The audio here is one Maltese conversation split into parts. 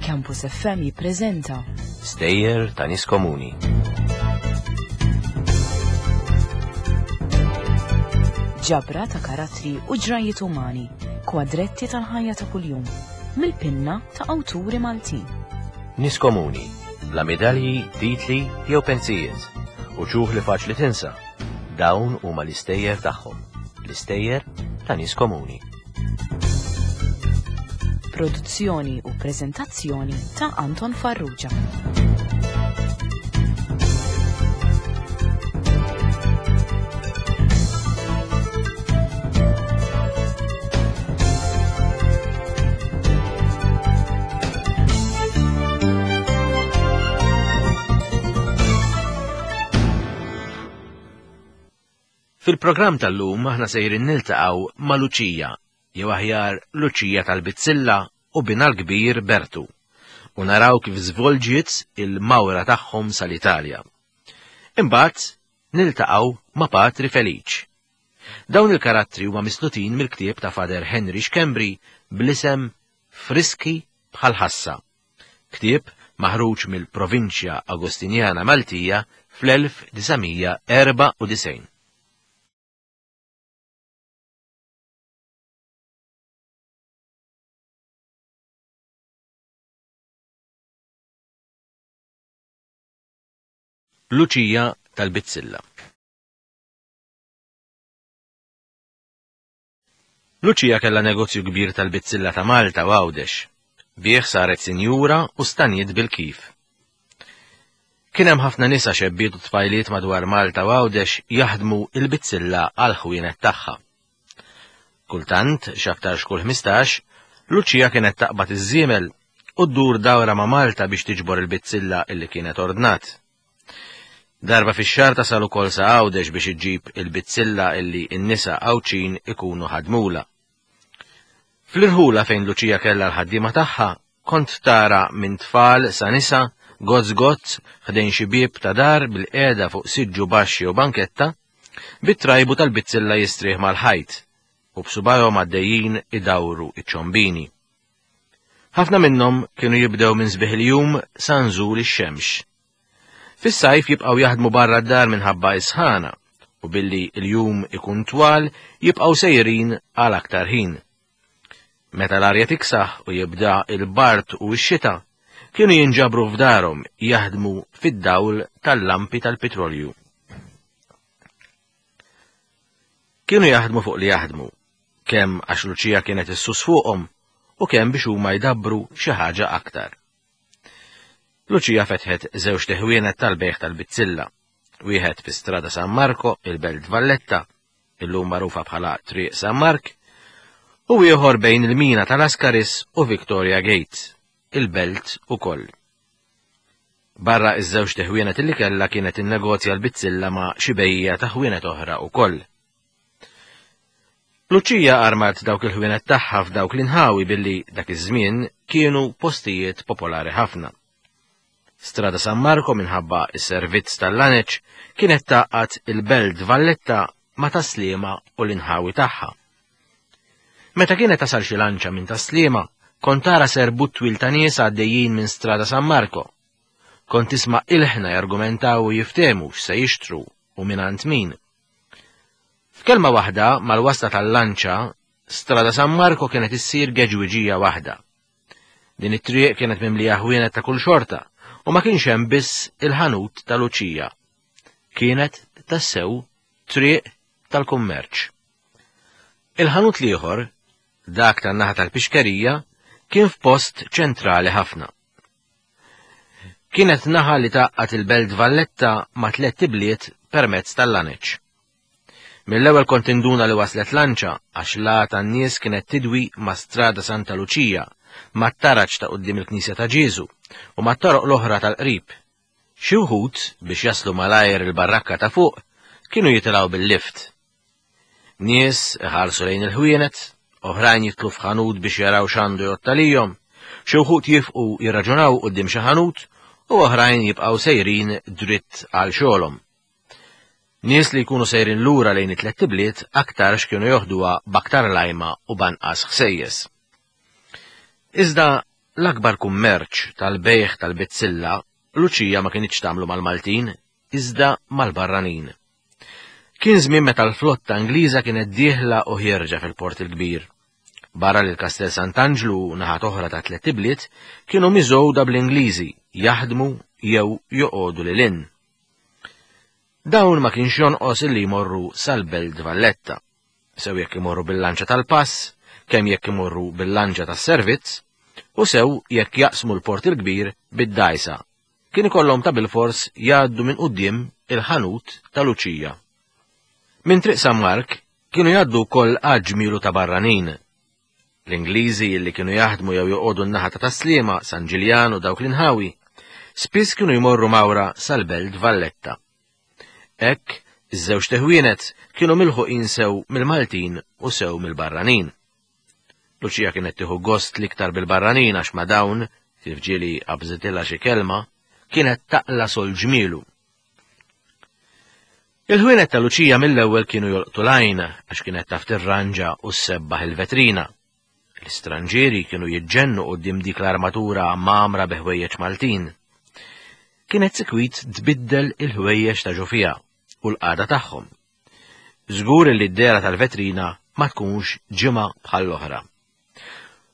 Campus FM jippreżenta Stejjer ta' nies komuni. Ġabra ta' karattri u ġrajiet umani, kwadretti tal-ħajja ta' kuljum, mill-pinna ta' awturi Maltin. Nies komuni, bla medalji, titli jew pensijiet, u ċuħ li faċli tinsa. Dawn huma l-istejjer tagħhom, l-istejjer ta' nies komuni. Produzzjoni u preżentazzjoni ta' Anton Farrugia. Fil-programm tal-lum aħna sejrin niltaqgħu ma' Luċija, jew aħjar Luċija tal-Bizzilla u binha l-kbir Bertu, u naraw kif żvolġiet il-mawra tagħhom sal-Italja. Imbagħad niltaqgħu ma' Patri Feliċ. Dawn il-karattri huma mislutin mill-ktieb ta' Father Henry Schembri bl-isem Friski bħal ħassa. Ktieb maħruġ mill-Provinċja Agostinjana Maltija fl-1994. Luċija tal-Bizzilla. Luċija kellha negozju kbir tal-bizzilla ta' Malta u Għawdex. Bih saret sinjura u staniet bil-kif. Kien hemm ħafna nisa xebbiet u tfajliet madwar Malta u Għawdex jaħdmu il-bizzilla għal ħwienet tagħha. Kultant, x'aktarx kull 15, Luċija kienet taqbad iż-żiemel u ddur dawra ma' Malta biex tiġbor il-bizzilla illi kienet ordnat. Darba fix-xahar tasal ukoll sa Għawdex biex iġġib il-bizzilla illi n-nisa Għawdxin ikunu ħadmulha. Fl-irħula fejn Luċija kellha l-ħaddiema tagħha, kont tara minn tfal sa nisa gozz gozz ħdejn xi bieb ta' dar bil-qiegħda fuq siġġu baxx jew banketta, bit-trajbu tal-bizzilla jistrieħ mal-ħajt u b'subajhom għaddejjin idawru iċ-ċombini. Ħafna minnhom kienu jibdew minn sbieħ il-jum sa nżul ix-xemx. Fis-sajf jibqgħu jaħdmu barra d-dar minħabba is-sħana u billi l-jum ikun twal jibqgħu sejrin għal aktar ħin. Meta l-arja tiksaħ u jibda il-bard u x-xita, kienu jinġabru f'darhom jaħdmu fid-dawl tal-lampi tal-pitrolju. Kienu jaħdmu fuq li jaħdmu, kemm għax Luċija kienet issus fuqhom u kemm biex huma jdabbru xi ħaġa aktar. Luċija fetħet żewġt iħwienet tal-bejgħ tal-bizzilla, wieħed fi Strada San Marco, il-Belt Valletta, illum magħrufa bħala Triq San Mark, u ieħor bejn il-mina tal-Askaris u Victoria Gate, il-Belt ukoll. Barra iż-żewġt iħwienet illi kellha kienet innegozja l-bizzilla ma' xi bejjiegħa ta' ħwienet oħra ukoll. Luċija armat dawk il-ħwienet tagħha f'dawk l-inħawi billi dak iż-żmien kienu postijiet popolari ħafna. Strada San Marco minħabba is-servizz tal-laneċ kienet tgħaqqad il-Belt Valletta ma' Tas-Sliema u l-inħawi tagħha. Meta kienet tasal xi lanċa minn Tas-Sliema, kont tara serbut twil ta' nies għaddejjin minn Strada San Marco. Kont tisma' ilħna jargumentaw u jiftehmu x'se jixtru u mingħand min. F'kelma waħda, mal-wasla tal-lanċa, Strada San Marco kienet issir geġwiġija waħda. Din it-triq kienet mimlija ħwienet ta' kull xorta u ma kienx hemm biss il-ħanut ta' Luċija. Kienet tassew triq tal-kummerċ. Il-ħanut l-ieħor, dak tan-naħa tal-pixkerija, kien f'post ċentrali ħafna. Kienet naħa li tgħaqqad il-Belt Valletta ma' tlett ibliet permezz tal-laneċ. Mill-ewwel kont induna li waslet lanċa għax l-għa tan-nies kienet tidwi ma' Strada Santa Luċija, mat-taraġ ta' quddiem il-Knisja ta' Ġieżu u mat-toroq l-oħra tal-qrib. Xi wħud, biex jaslu malajr il-barrakka ta' fuq, kienu jitilgħu bil-lift. Nies iħarsu lejn il-ħwienet, oħrajn jitlu f'ħanut biex jaraw x'għandu jgħodd għalihom, xi wħud jifqu jirraġunaw quddiem xi ħanut u oħrajn jibqgħu sejrin dritt għal xogħolhom. Nies li jkunu sejrin lura lejn it-tlett ibliet aktarx kienu joħduha b'aktar lajma u b'anqas ħsejjes. Iżda l-akbar kummerċ tal-bejgħ tal-bizzilla Luċija ma kinitx tagħmlu mal-Maltin, iżda mal-barranin. Kien żmien meta l-flotta Ingliża kienet dieħla u ħierġa fil-Port il-Kbir. Barra li l-Kastell Sant'Anġlu u naħat oħra ta' tlett ibliet kienu miżgħuda bl-Ingliżi jaħdmu jew joqogħdu lil hinn. Dawn ma kienx jonqos illi jmorru sal-Belt Valletta, sew jekk imorru bil-lanċa tal-pass, kemm jekk imorru bil-lanċa tas-servizz, u sew jekk jaqsmu l-Port il-Kbir bid-dgħajsa, kien ikollhom ta' bilfors jgħaddu minn quddiem il-ħanut ta' Luċija. Minn Triq San Mark kienu jgħaddu wkoll għadd ġmielu ta' barranin. L-Ingliżi li kienu jaħdmu jew joqogħdu n-naħa ta' Tas-Sliema, San Ġiljan u dawk l-inħawi, spiss kienu jmorru mawra sal-Belt Valletta. Hekk, iż-żewġt iħwienet kienu milħuqin sew mill-Maltin u sew mill-barranin. Luċija kienet tieħu gost l-iktar bil-barranin għax ma' dawn, kif ġieli qabżitilha xi kelma, kienet taqla' sol ġmielu. Il-ħwienet ta' Luċija mill-ewwel kienu jolqtu l-għajn għax kienet taf tirranġa u ssebbaħ il-vetrina. L-istranġieri kienu jiġġennu quddiem dik l-armatura mgħammra bi ħwejjeġ Maltin. Kienet sikwit tbiddel il-ħwejjeġ ta' ġo fiha u l-qagħda tagħhom. Żgur li d-dehra tal-vetrina ma tkunx ġimgħa bħall-oħra.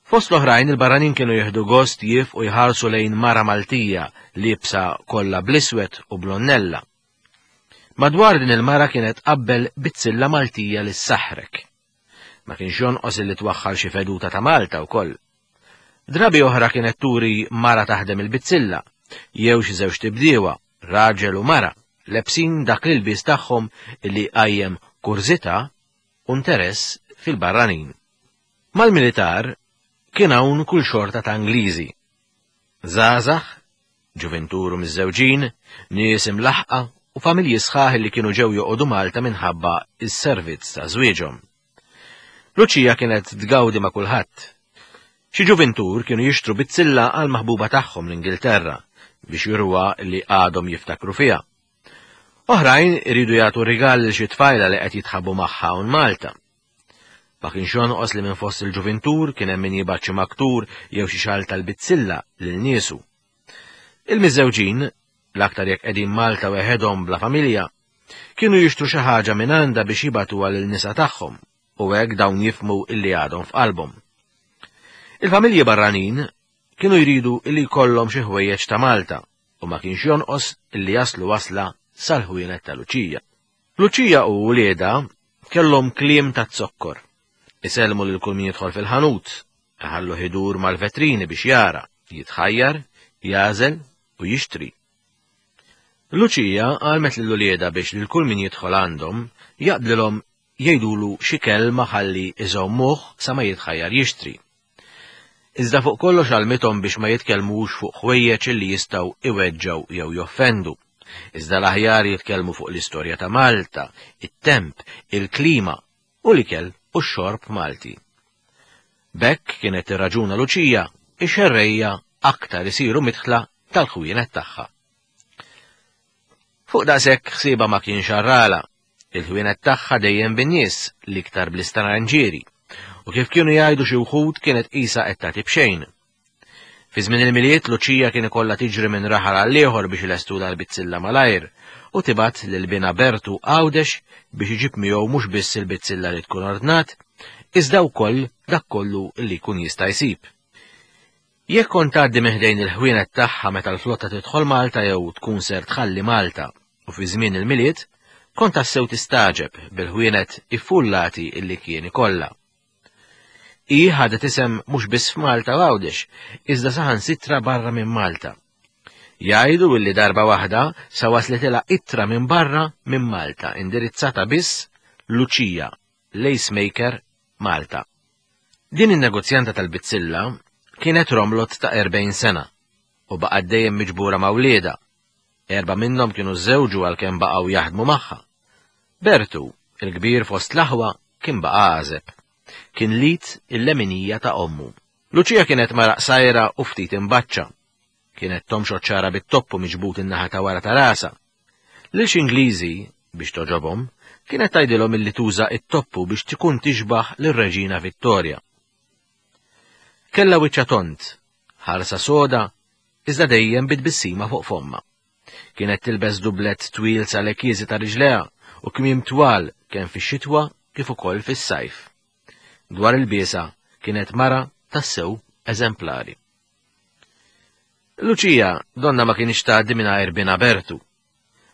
Fost l-oħrajn il-barranin kienu jieħdu gost jifqu jħarsu lejn mara Maltija liebsa kollha bl-iswed u blonnella. Madwar din il-mara kienet tqabbel bizzilla Maltija li ssaħħrek. Ma kienx jonqos illi twaħħal xi feduta ta' Malta wkoll. Drabi oħra kienet turi mara taħdem il-bizzilla, jew xi żewġt ibdiewa, raġel u mara, lebsin dak l-ilbies tagħhom illi qajjem kurżità u interess fil-barranin. Mal-militar kien hawn kull xorta ta' Ingliżi. Żgħażagħ, ġuvintur u miżżewġin, nies imlaħħqa u familji sħaħ li kienu ġew joqogħdu Malta minħabba s-servizz ta' żwieġhom. Luċija kienet tgawdi ma' kulħadd. Xi ġuvintur kienu jixtru bizzilla għall-maħbuba tagħhom l-Ingilterra biex juruha li għadhom jiftakru fiha. Oħrajn iridu jagħtu rigal lil xi tfajla li qed jitħabbu magħha hawn Malta. Ma kienx jonqos li minn fost il-ġuvintur kien hemm min jibgħat xi maktur jew xi xal tal-bizzilla lil niesu. Il-miżżewġin, l-aktar jekk qegħdin Malta weħedhom bla familja, kienu jixtru xi ħaġa minn għandha biex jibgħatuha lil nisa tagħhom u hekk dawn jifhmu illi għadhom f'qalbhom. Il-familji barranin kienu jridu illi jkollhom xi ħwejjeġ ta' Malta u ma kienx jonqos illi jaslu wasla sal-ħwienet ta' Luċija. Luċija u wliedha kellhom kliem ta' zokkor. Isellmu lil kull min jidħol fil-ħanut, iħalluh idur mal-vetrini biex jara, jitħajjar, jagħżel u jixtri. Luċija għallmet lil uliedha biex lil kull min jidħol għandhom jaqblilhom jgħidulu xi kelma ħalli iżommuh sa ma jitħajjar jixtri. Iżda fuq kollox għallmithom biex ma jitkellmux fuq ħwejjeġ li jistgħu iweġġgħu jew joffendu. Iżda l-aħjar jitkellmu fuq l-istorja ta' Malta, it-temp, il-klima u l-ikel u x-xorb Malti. B'hekk kienet tirraġuna Luċija, ix-xerrejja aktar isiru midħla tal-ħwienet tagħha. Fuq daqshekk ħsiebha ma kienx għarrala. Il-ħwienet tagħha dejjem bin-nies, l-iktar bl-istranġieri. U kif kienu jgħidu xi wħud kienet qisha qed tagħti b'xejn. Fi żmien il-Milied Luċija kien ikollha tiġri minn raħal għal ieħor biex ilestulha l-bizzilla malajr u tibgħat lil binha Bertu Għawdex biex iġib miegħu mhux biss il-bizzilla li tkun ordnat, iżda wkoll dak kollu li jkun jista' jsib. Jekk kont tgħaddi minn ħdejn il-ħwienet tagħha meta l-flotta tidħol Malta jew tkun ser tħalli Malta u fi żmien il-Milied, kont tassew tistagħġeb bil-ħwienet iffullati illi kien ikollha. Hi ħadet isem mhux biss f'Malta u Għawdex, iżda saħansitra barra minn Malta. Jgħidu illi darba waħda sa waslitilha ittra minn barra minn Malta indirizzata biss Luċija, Lacemaker, Malta. Din in-negozjanta tal-bizzilla kienet romlot ta' 40 sena u baqgħet dejjem miġbura ma' wliedha. Erbgħa minnhom kienu żżewġu għalkemm baqgħu jaħdmu magħha. Bertu, il-kbir fost l-aħwa, kien baqa' għażeb. Kien l-id il-leminija ta' ommu. Luċija kienet mara qsajra u ftit imbaċċa. Kienet tomxot xagħarha bit-toppu miġbud in-naħa ta' wara ta' rasha. Lil xi Ingliżi, Biex togħġobhom, kienet tgħidilhom illi tuża t-toppu biex tkun tixbah lir-Reġina Vittoria. Kellha wiċċha tond, ħarsa soda, iżda dejjem bi tbissima fuq fommha. Kienet tilbes dublett twil sal-għekieżi ta' riġlejha u kmiem twal kemm fix-xitwa kif ukoll fis-sajf. Dwar il-biesa kienet mara tassew eżemplari. Luċija donna ma kienx tgħaddi mingħajr binha Bertu.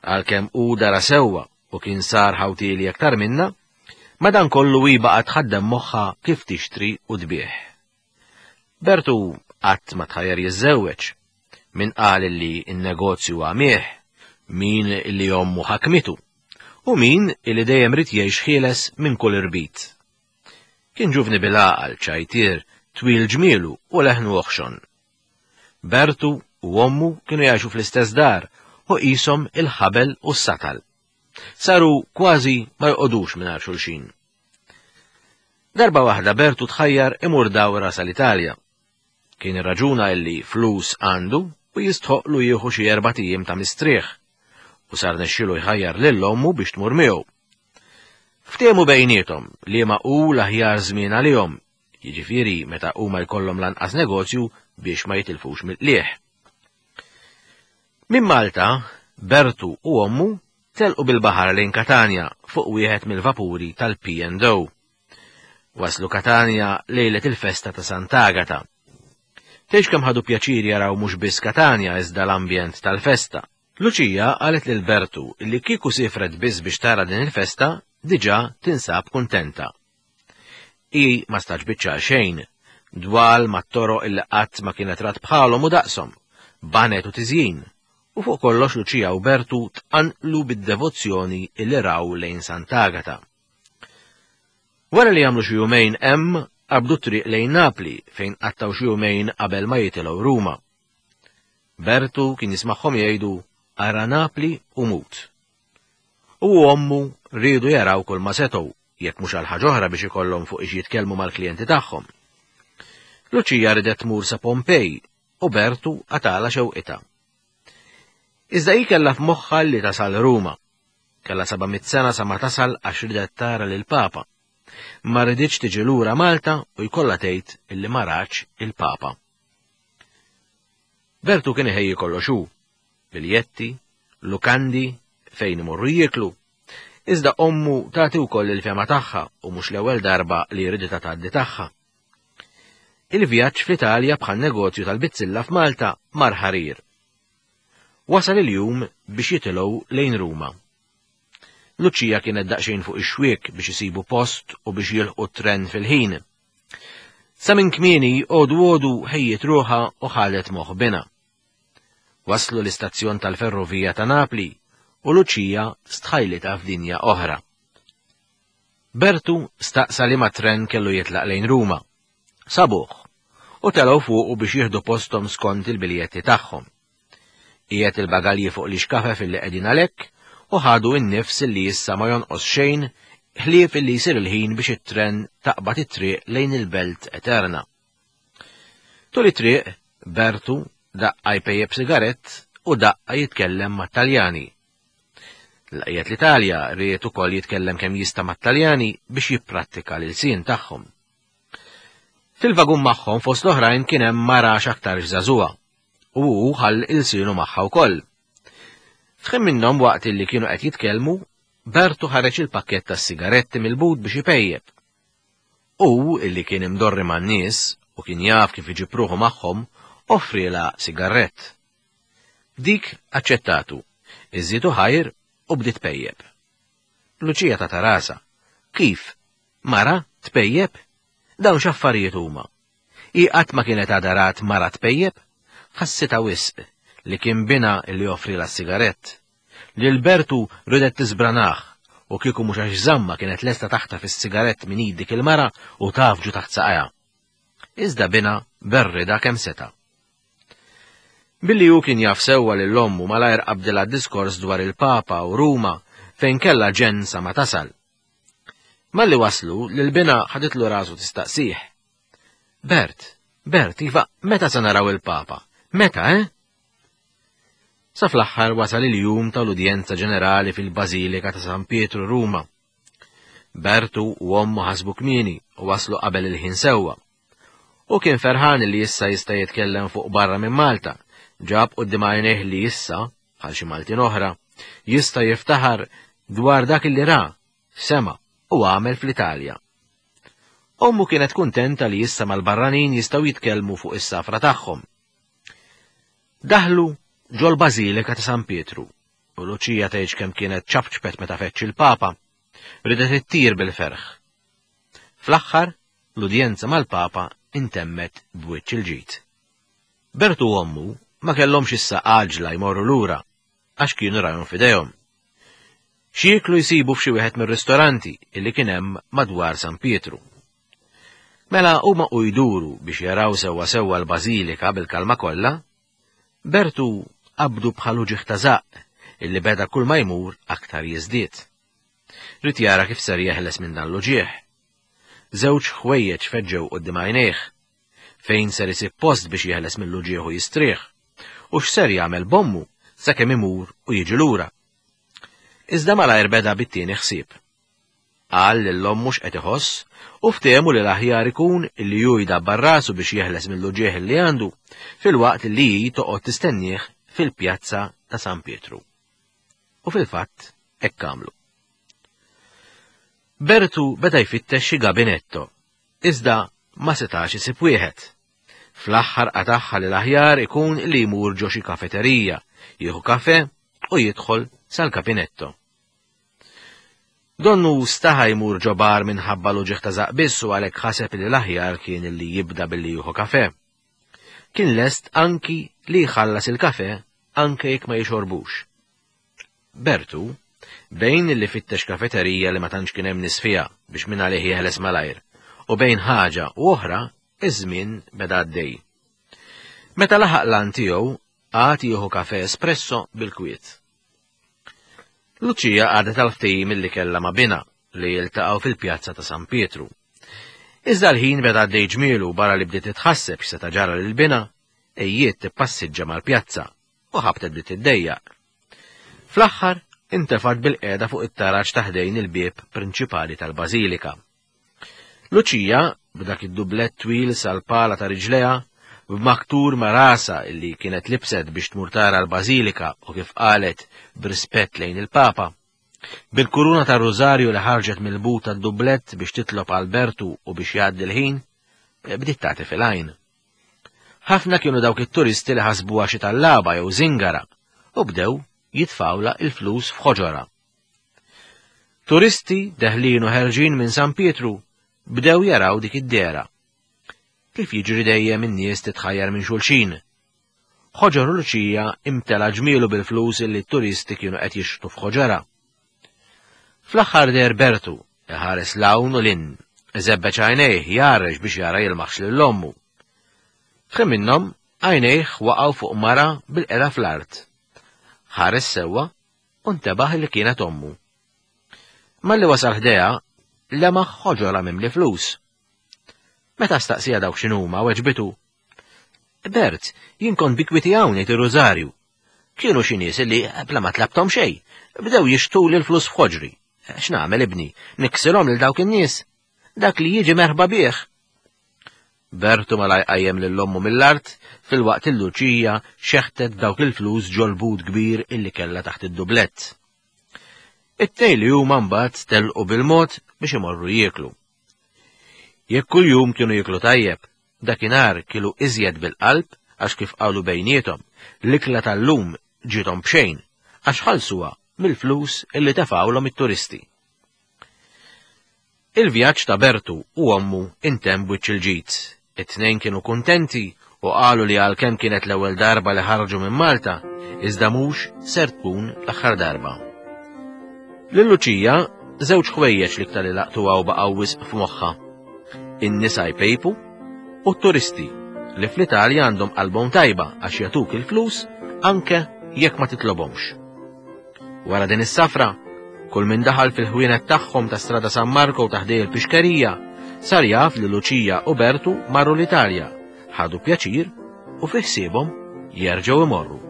Għalkemm hu dara sewwa u kien sar ħawtieli aktar minnha, madankollu hi baqgħet tħaddem moħħha kif tixtri u tbigħ. Bertu qatt ma tħajjar jiżżewweġ. Min qal li n-negozju għamih, min li ommu ħakmitu, u min li dejjem ried jgħix ħieles minn kull irbit. Kien ġuvni bil-għaqal, ċajtier, twil ġmielu u leħnu oħxon. Bertu u ommu kienu jgħixu fl-istess dar u qishom il-ħabel u s-satal. Saru kważi ma joqogħdux mingħajr xulxin. Darba waħda Bertu tħajjar imur dawra sal-Italja. Kien irraġuna illi flus għandu u jistħoqlu jieħu xi erbat ijiem ta' mistrieħ u sar nexxielu jħajjar lil ommu biex tmur miegħu. Ftehmu bejniethom liema hu l-aħjar żmien għalihom, jiġifieri meta huma jkollhom l-anqas negozju biex ma jitilfux mill-qligħ. Minn Malta, Bertu u ommu telqu bil-baħar lejn Katanja fuq wieħed mill-vapuri tal-P&O. Waslu Katanja lejlet il-festa ta' Sant'Agata. Tgħidx kemm ħadu pjaċir jaraw mhux biss Katanja iżda l-ambjent tal-festa. Luċija qalet lil Bertu li kieku siefret biss biex tara din il-festa diġà tinsab kuntenta. Hi ma staġbitx għal xejn, dwal mat-toroq illi qatt ma kienet rat bħalhom u daqshom, baned u tiżjin, u fuq kollox Luċija u Bertu tqanqlu bid-devozzjoni illi raw lejn Sant'Agata. Wara li għamlu xi jumejn hemm, qabdu t-triq lejn Napli fejn qattgħu xi jumejn qabel ma jitilgħu Ruma. Bertu kien jismagħhom jgħidu ara Napli u mut. Hu u ommu riedu jaraw kulma setgħu, jekk mhux għal ħaġa oħra biex ikollhom fuq ix jitkellmu mal-klijenti tagħhom. Luċija ridet tmur sa Pompej u Bertu qatgħalha xewqitha. Iżda hi kellha f'moħħha li tasal Ruma. Kellha 700 sena sa ma tasal għax ridet tara lill-Papa. Ma riditx tiġi lura Malta u jkollha tgħid illi ma ratx il-Papa. Bertu kien iħejji kollox hu, biljetti, lukandi, fejn imorru jieklu. Iżda ommu tagħti wkoll il-fehma tagħha u mhux l-ewwel darba li riditha tgħaddi tagħha. Il-vjaġġ fl-Italja bħal negozju tal-bizzilla f'Malta mar ħarir. Wasal il-jum biex jitilgħu lejn Ruma. Luċija kienet daqsxejn fuq ix-xwiek biex isibu post u biex jilħqu t-tren fil-ħin. Sa minn kmieni għodu għodu ħejjiet ruħha u ħadet moħħ binha. Waslu l-istazzjon tal-ferrovija ta' Napli u Luċija stħajlitha f'dinja oħra. Bertu staqsa liema tren kellu jitlaq lejn Ruma. Sabuh u telgħu fuqu biex jieħdu posthom skont il-biljetti tagħhom. Qiegħed il-bagalji fuq l-ixkafef illi qegħdin għalhekk u ħadu n-nifs illi issa ma jonqos xejn ħlief illi jsir il-ħin biex it-tren taqbad it-triq lejn il-belt eterna. Tul it-triq, Bertu daqqa jpejjep sigarett u daqqa jitkellem mat-Taljani. Laqjet l-Italja ried ukoll jitkellem kemm jista' mat-Taljani biex jipprattika l-ilsien tagħhom. Fil-vagun magħhom fost l-oħrajn kien hemm mara x'aktarx żagħżugħa u hu ħall ilsienu magħha wkoll. F'ħin minnhom waqt li kienu qed jitkellmu, Bertu ħareġ il-pakkett tas-sigaretti mill-but biex ipejjep. Hu, illi kien imdorri man-nies u kien jaf kif iġib ruħu magħhom, offrielha sigarrett. Dik aċċettatu, iżżietu ħajr u bdiet tpejjep. Luċija tatha rasha. Kif? Mara tpejjep? Dawn x'affarijiet huma? Hi qatt ma kienet għadha rat mara tpejjep? Ħassitha wisq li kien binha li offrielha s-sigarett. Lil Bertu riedet tiżbranah u kieku mhux għax żammha kienet lesta taħtaf is-sigarett minn id dik il-mara u tgħaffġu taħt saqajha. Iżda binha berridha kemm seta'. Billi hu kien jaf sewwa lil ommu malajr qabdilha d-diskors dwar il-Papa u Ruma fejn kellha ġenn sa ma tasal. Malli waslu, lil binha ħaditlu rasu tistaqsih. Bert, Bert, iva, meta se naraw il-Papa? Meta, eh? Sa fl-aħħar wasal il-jum tal-udjenza ġenerali fil-Bażilika ta' San Pietru Ruma. Bertu u ommu ħasbu kmieni u waslu qabel il-ħin sewwa. Hu kien ferħan li issa jista' jitkellem fuq barra minn Malta, ġab quddiem għajnejh li issa, bħal xi Maltin oħra, jista' jiftaħar dwar dak li ra, sema' u għamel fl-Italja. Ommu kienet kuntenta li issa mal-barranin jistgħu jitkellmu fuq is-safra tagħhom. Daħlu ġol-Bażilika ta' San Pietru u Luċija tgħidx kemm kienet ċapċpet meta feċċ il-Papa, ridet ittir bil-ferħ. Fl-aħħar, l-udjenza mal-Papa intemmet b'wiċċ il-ġid. Bertu u ommu ma kellhomx issa għaġla jmorru lura għax kienu rajhom f'idejhom. X'jieklu jsibu f'xi wieħed mir-ristoranti illi kien hemm madwar San Pietru. Mela huma u jduru biex jaraw sewwa sewwa l-bażilika bil-kalma kollha, Bertu qabdu bħal uġigħ ta' żaqq illi beda kull ma jmur aktar jiżdied. Ried jara kif ser jeħles minn dan l-uġigħ. Żewġ ħwejjeġ feġġew quddiem għajnejh. Fejn ser isib post biex jeħles mill-uġigħ u jistrieħ, u x'ser jagħmel b'ommu sakemm imur u jiġi lura. Iżda malajr beda bit-tieni ħsieb. Qal lil ommu x'qed iħoss u ftehmu li l-aħjar ikun li hu jdabbar rasu biex jeħles mill-uġigħ li għandu filwaqt li hi toqgħod tistennieh fil-pjazza ta' San Pietru. U fil-fatt hekk għamlu. Bertu beda jfittex xi gabinetto, iżda ma setax isib wieħed. Fl-aħħar qatagħha li l-aħjar ikun li jmur ġo xi kafeterija, jieħu kafe u jidħol sal-kabinetto. Donnu staħa jmur ġo bar minħabba l-uġigħ ta' żaqq biss u għalhekk ħaseb li l-aħjar kien li jibda billi jieħu kafe. Kien lest anki li jħallas il-kafe anke jekk ma jixorbux. Bertu, bejn li fittex kafeterija li ma tantx kien hemm nies fiha biex minn għalih jeħles malajr, u bejn ħaġa u oħra, iż-żmien beda għaddej. Meta laħaq l-għan tiegħu, qagħad jieħu kafe espresso bil-kwiet. Luċija qagħdet għal ftehim li kellha ma' binha li jiltaqgħu fil-pjazza ta' San Pietru. Iżda l-ħin beda għaddej ġmielu barra li bdiet titħasseb x'seta' ġara lil binha, ejjiet tippassiġġa mal-pjazza u ħabtet bdiet tiddejjaq. Fl-aħħar intefgħet bil-qiegħda fuq it-taraġ ta' ħdejn il-bieb prinċipali tal-bażilika. Luċija, b'dak id-dublett twil sal-pala ta' riġlejha, b'maktur ma' rasha illi kienet libset biex tmur tara l-bażilika u kif qalet b'rispett lejn il-Papa, bil-kuruna tar-rużarju li ħarġet mill-but tad-dublett biex titlob għal Bertu u biex jgħaddi l-ħin, bdiet tagħti fil-għajn. Ħafna kienu dawk it-turisti li ħasbuha xi tallaba jew żingara u bdew jitfgħulha l-flus f'ħoġorha. Turisti deħlin u ħerġin minn San Pietru bdew jaraw dik id-dehra. Kif jiġri dejjem in-nies titħajjar minn xulxin. Ħoġor Luċija imtela ġmielu bil-flus illi t-turisti kienu qed jixħtu f'ħoġorha. Fl-aħħar deher Bertu, iħares 'l hawn u 'l hinn, iżebbeġ għajnejh jgħarrex biex jara jilmaħx lil ommu. F'ħin minnhom, għajnejh waqgħu fuq mara bil-qeda fl-art. Ħares sewwa u ntebaħ li kienet ommu. Malli wasal ħdejha, lemaħ ħoġorha mimli flus. Meta staqsija dawk x'inhuma, weġbitu, Bert, jien kont bi kwieti hawn ngħid ir-rużarju. Kienu xi nies li bla ma tlabthom xejn, bdew jixtuli l-flus f'ħoġri. X'nagħmel ibni, niksilhom lil dawk in-nies? Dak li jiġi merħba bih. Bertu malajr qajjem lil ommu mill-art filwaqt li Luċija xeħtet dawk il-flus ġol-but kbir illi kellha taħt id-dublett. It-tnejn li huma mbagħad telqu bil-mod biex imorru jieklu. Jekk kuljum kienu jieklu tajjeb, dakinhar kielu iżjed bil-qalb għax kif qalu bejniethom, l-ikla tal-lum ġiethom b'xejn għax ħallsuha mill-flus illi tefgħulhom it-turisti. Il-vjaġġ ta' Bertu u ommu intemm b'wiċċ il-ġid. It-tnejn kienu kuntenti u qalu li għalkemm kienet l-ewwel darba li ħarġu minn Malta, iżda mhux ser tkun l-aħħar darba. Lil Luċija, żewġ ħwejjeġ l-iktar li laqtuha u baqgħu wisq f'moħħha. In-nisa jpejpu u t-turisti li fl-Italja għandhom qalbhom tajba għax jagħtuk il-flus anke jekk ma titlobhomx. Wara din is-safra, kull min daħal fil-ħwienet tagħhom ta' Strada San Marco ta' ħdej il-pixkerija sar jaf li Luċija u Bertu marru l-Italja, ħadu pjaċir u fi ħsiebhom jerġgħu imorru.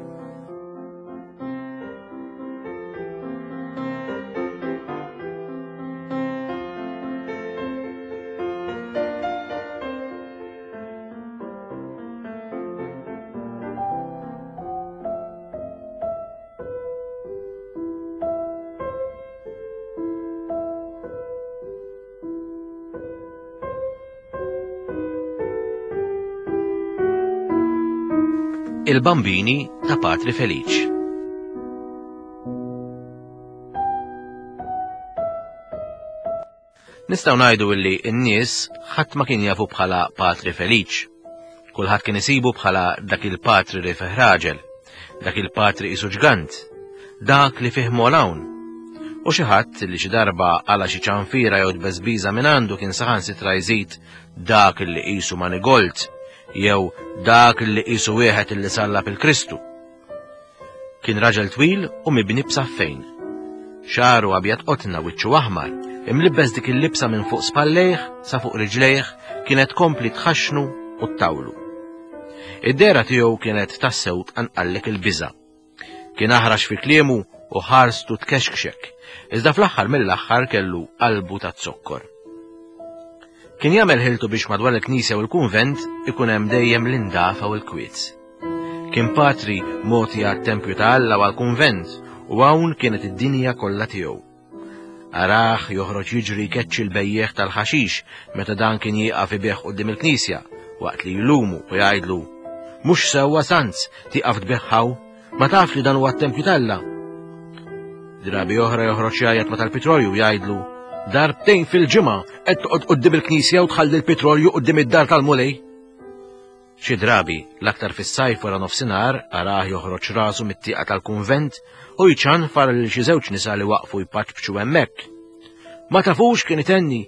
Il-Bambini ta' Patri Feliċ. Nistgħu ngħidu illi n-nies ħadd ma kien jafu bħala Patri Feliċ. Kulħadd kien isibu bħala dak il-patri li fih raġel, dak il-patri isu ġgant, dak li fih molawn. U xi ħadd li xi darba għala xi ċanfira jew tbeżbiża minn għandu kien saħansitra jżid dak li qisu manigolt jew dak li qisu wieħed li sallab il-Kristu. Kien raġel twil u mibni b'saffejn. Xagħru abjad qotna wiċċu aħmar, imlibbes dik il-libsa minn fuq spallejh sa fuq riġlejh kienet tkompli tħaxxnu u ttawlu. Id-dehra tiegħu kienet tassew tqanqallek il-biża'. Kien aħrax fi kliemu u ħarstu tkexkxek, iżda fl-aħħar mill-aħħar kellu qalbu ta' zokkor. Kien jagħmel ħiltu biex madwar il-knisja u l-kunvent ikun hemm dejjem l-indafa u l-kwiet. Kien patri mogħti għat-tempju ta' Alla u għall-kunvent u hawn kienet id-dinja kollha tiegħu. Arah joħroġ jiġri jkeċċi l-bejjiegħ tal-ħaxix meta dan kien jieqaf ibigħ quddiem il-knisja waqt li jlumu u jgħidlu, Mhux sewwa Sanz tieqaf tbigħ hawn, ma tafx li dan huwa t-tempju t'Alla. Drabi oħra joħroġ jgħajjat ma tal-pitrolju jgħidlu, Darbtejn fil-ġimgħa qed toqgħod quddiem il-knisja u tħalli l-pitrolju quddiem id-dar tal-Mulej. Xi drabi, l-aktar fis-sajf wara nofsinhar, arah joħroġ rasu mit-tieqa tal-kunvent u jċanfar lil xi żewġ nisa li waqfu jpaċpċu hemmhekk. Ma tafux kien itenni.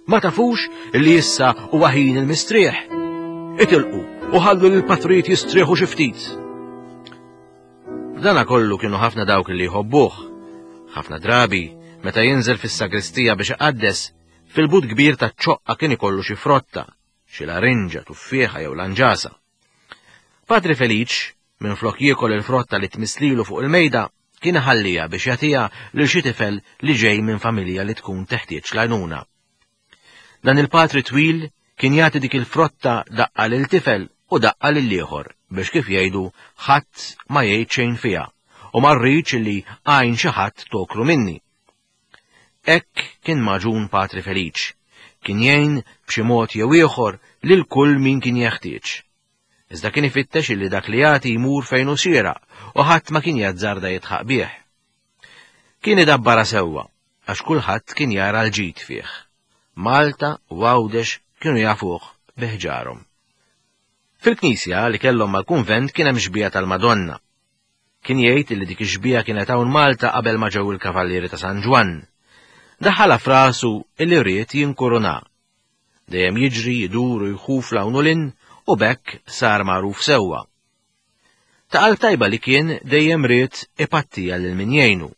Ma tafux li issa huwa ħin il-mistrieħ. Itilqu u ħallu lil patrijiet jistrieħu xi ftit. Dana kollu kienu ħafna dawk li jħobbuh. Ħafna drabi, meta jinżel fis-sagristija biex iqaddes, fil-but kbir taċ-ċoqqa kien ikollu xi frotta, xi larinġa, tuffieħa jew lanġasa. Patri Feliċ, minflok jiekol il-frotta li tmisslilu fuq il-mejda, kien iħalliha biex jagħtiha lil xi tifel li ġej minn familja li tkun teħtieġ l-għajnuna. Dan il-patri twil kien jagħti dik il-frotta daqqa lil tifel u daqqa lil ieħor biex kif jgħidu ħadd ma jgħid xejn fiha u ma rridx li għajn xi ħadd toklu minni. Hekk kien magħġun Patri Feliċ. Kien jgħin b'xi mod jew ieħor lil kull min kien jeħtieġ. Iżda kien ifittex illi dak li jagħti jmur fejn hu xieraq u ħadd ma kien jazzarda jidħaq bih. Kien idabbarha sewwa għax kulħadd kien jara l-ġid fih. Malta u Għawdex kienu jafuh bi ħġarhom. Fil-knisja li kellhom mal-kunvent kien hemm xbieha tal-Madonna. Kien jgħid li dik ix-xbieha kienet hawn Malta qabel ma ġew il-Kavallieri ta' San Ġwann. Daħħalha f'rasu illi ried jinkuruna. Dejjem jiġri, jidur u jħuf 'l hawn u 'l hinn u b'hekk sar magħruf sewwa. Ta' qalb tajba li kien dejjem ried ipattiha lil min jgħinu.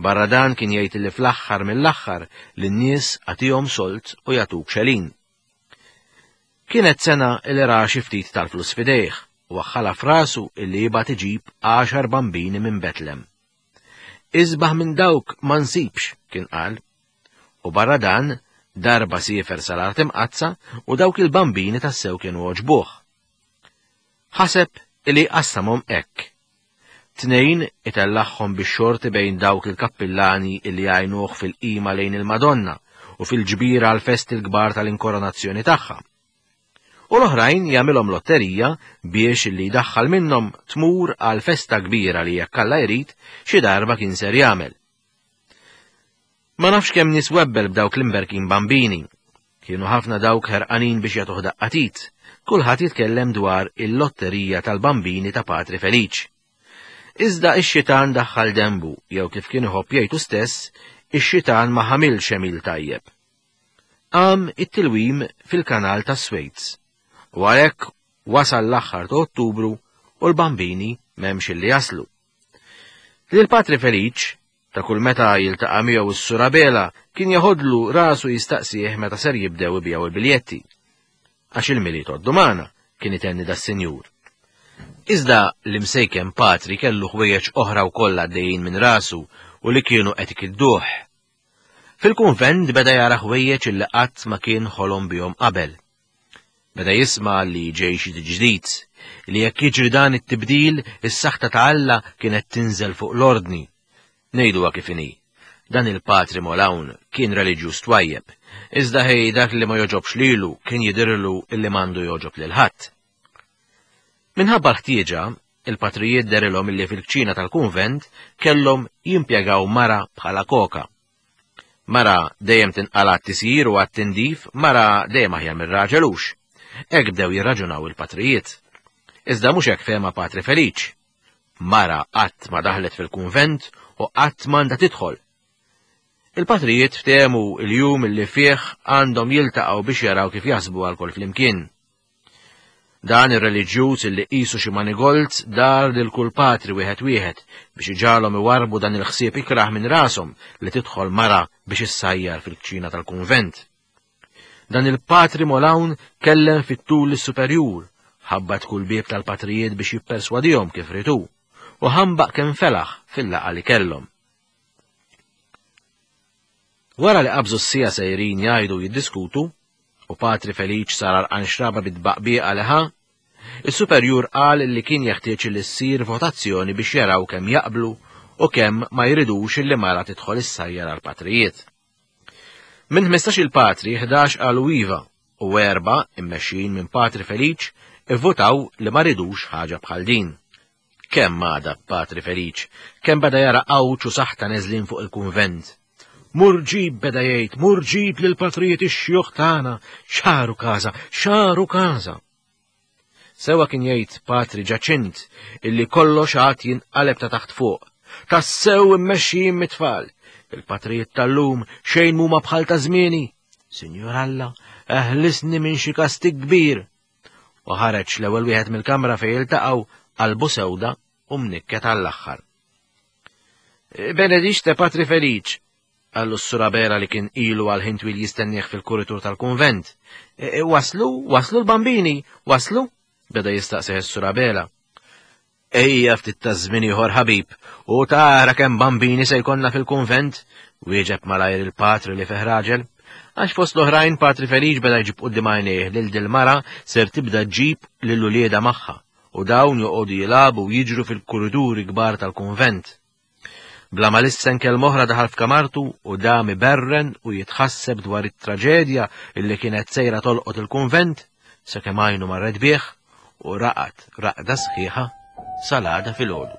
Barra dan kien jgħid illi fl-aħħar mill-aħħar lin-nies agħtihom sold u jagħtuk xelin. Kienet sena li ra xi ftit tal-flus f'idejh u waħħalha f'rasu illi jibgħat iġib għaxar bambini minn Betlem. Isbaħ minn dawk ma nsibx, kien qal. U barra dan, darba siefer sal-Art Imqaddsa u dawk il-bambini tassew kienu għoġbuh. Ħaseb illi jqassamhom hekk. Tnejn itellagħhom bix-xorti bejn dawk il-kappillani li jgħinuh fil-qima lejn il-Madonna u fil-ġbir għall-festi l-kbar tal-inkoronazzjoni tagħha. U l-oħrajn jagħmilhom lotterija biex li jdaħħal minnhom tmur għal festa kbira li jekk Alla jrid xi darba kien ser jagħmel. Ma nafx kemm nies webbel b'dawk l-imberkin bambini. Kienu ħafna dawk ħerqanin biex jagħtuh daqqa t'id. Kulħadd jitkellem dwar il-lotterija tal-bambini ta' Patri Feliċ. Iżda ix-xitan daħħal denbu, jew kif kien iħobb jgħid hu stess, ix-xitan ma ħamilx għemil tajjeb. Qam it-tilwim fil-kanal tas-Swejz. U għalhekk wasal l-aħħar ta' Ottubru u l-bambini m'hemmx illi jaslu. Lil Patri Feliċ Ta' kull meta jiltaqa' miegħu s-Sur Abela kien jeħodlu rasu jistaqsih meta ser jibdew ibigħu l-biljetti. Għax il-Milied għoddu magħna, kien itenni das-sinjur. Iżda l-imsejken patri kellu ħwejjeġ oħra wkoll għaddejjin minn rasu u li kienu qed ikidduh. Fil-kunvent beda jara ħwejjeġ illi qatt ma kien ħolom bihom qabel. Beda jisma' li ġej xi ġdid, li jekk jiġri dan it-tibdil, is-saħta ta' Alla kienet tinżel fuq l-ordni. Ngħiduha kif inhi. Dan il-Patri Molawn kien reliġjuż twajjeb, iżda ħej dak li ma jogħġobx lilu kien jidhirlu illi m'għandu jogħġob lil ħadd. Minħabba l-ħtieġa, il-patrijiet derilhom illi fil-kċina tal-kunvent kellhom jimpjegaw mara bħala koka. Mara dejjem tinqala' għat-tisjir u għat-tindif, mara dejjem aħjar mir-raġel hux. Hekk bdew jirraġunaw il-patrijiet. Iżda mhux hekk fehma Patri Feliċ. Mara qatt ma daħlet fil-kunvent u qatt m'għandha tidħol. Il-patrijiet ftehmu l-jum li fih għandhom jiltaqgħu biex jaraw kif jaħsbu għal flimkien. Dan ir-reliġjuż illi qisu xi manigold dar lil kull patri wieħed wieħed biex iġagħalhom iwarrbu dan il-ħsieb ikrah minn rashom li tidħol mara biex issajjar fil-kċina tal-kunvent. Dan il-patri Molawn kellem fit-tul lis-superjur, ħabbat kull bieb tal-patrijiet biex jipperswadihom kif ried hu, u ħambaq kemm felaħ fil-laqgħa li kellhom. Wara li qabżu s-siegħa sejrin jgħidu u jiddiskutu, u Patri Feliċ sar għarqan xraba bit-tbaqbieqa li ħa, is-superjur qal li kien jeħtieġ li ssir votazzjoni biex jaraw kemm jaqblu u kemm ma jridux li mara tidħol issajjar għall-patrijiet. Minn 15-il patri, 11 qalu iva u erba' immexxijin minn Patri Feliċ ivvutaw li ma ridux ħaġa bħal din. Kemm għadab Patri Feliċ, kemm beda jara għawġ u saħta neżlin fuq il-kunvent. Mur ġib beda jgħid, mur ġib lill-patrijiet ix-xjuħ tagħna, xaru każa, xaru każa. Sewa kien jgħid Patri Ġaċint illi kollox għad jinqaleb ta' taħt fuq. Tassew immexxijin mit-tfal. Il-patrijiet tal-lum xejn mhuma bħal ta' żmieni. Sinjur Alla, eħlisni minn xi kastig kbir. U ħareġ l-ewwel wieħed mill-kamra fejn iltaqgħu qalbu sewda u mnikket għall-aħħar. Benedixte Patri Feliċ, qallu s-Sur Abela li kien ilu għal ħin twil jistennieh fil-kuritur tal-kunvent. E, e, waslu, waslu l-bambini, waslu? Beda jistaqsih is-Sur Abela. Ejja ftit ta' żmien ieħor ħabib, u tara kemm bambini se jkollna fil-kunvent, wieġeb malajr il-patri li fih raġel. Għax fost l-oħrajn Patri Feliċ beda jġib quddiem għajnejh lil dil-mara ser tibda ġġib lil uliedha magħha u dawn joqogħdu jilagħbu u jiġru fil-kuriduri kbar tal-kunvent. Bla ma lissen kelma oħra daħal f'kamartu u dam iberren u jitħasseb dwar it-traġedja illi kienet sejra tolqot il-kunvent sakemm għajnu marret bih u raqad raqda sħiħa sal-għada filgħodu.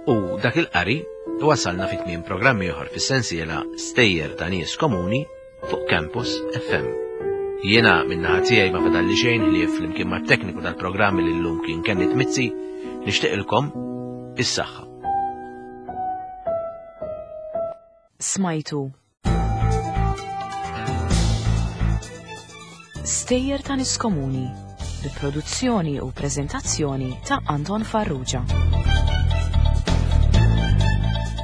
U dak il-qari wasalna fi tmiem programm ieħor fis-sensiela Stejjer ta' Nies Komuni fuq Campus FM. Jiena min-naħa tiegħi ma fadalli xejn ħlief flimkien mat-tekniku tal-programm li llum kien Kenneth Mizzi nixtieqilkom is-saħħa. Smajtu Stejjer ta' Nies Komuni bi produzzjoni u preżentazzjoni ta' Anton Farrugia.